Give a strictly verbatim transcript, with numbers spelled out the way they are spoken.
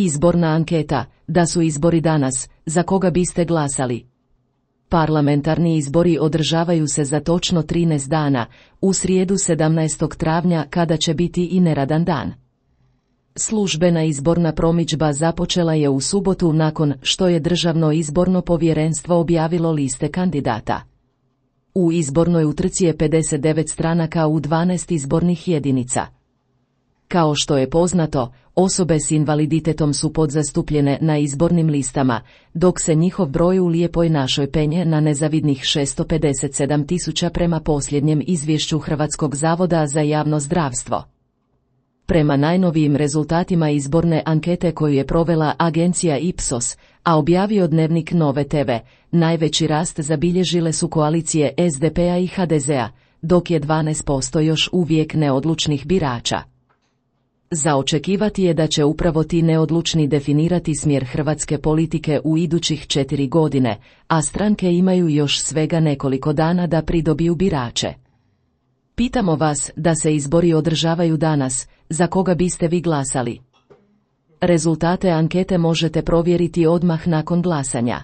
Izborna anketa, da su izbori danas, za koga biste glasali? Parlamentarni izbori održavaju se za točno trinaest dana, u srijedu sedamnaestog travnja kada će biti i neradan dan. Službena izborna promidžba započela je u subotu nakon što je Državno izborno povjerenstvo objavilo liste kandidata. U izbornoj utrci je pedeset devet stranaka u dvanaest izbornih jedinica. Kao što je poznato, osobe s invaliditetom su podzastupljene na izbornim listama, dok se njihov broj u Lijepoj našoj penje na nezavidnih šesto pedeset sedam tisuća prema posljednjem izvješću Hrvatskog zavoda za javno zdravstvo. Prema najnovijim rezultatima izborne ankete koju je provela agencija Ipsos, a objavio Dnevnik Nove te ve, najveći rast zabilježile su koalicije es de pe a i ha de zea, dok je dvanaest posto još uvijek neodlučnih birača. Za očekivati je da će upravo ti neodlučni definirati smjer hrvatske politike u idućih četiri godine, a stranke imaju još svega nekoliko dana da pridobiju birače. Pitamo vas da se izbori održavaju danas, za koga biste vi glasali? Rezultate ankete možete provjeriti odmah nakon glasanja.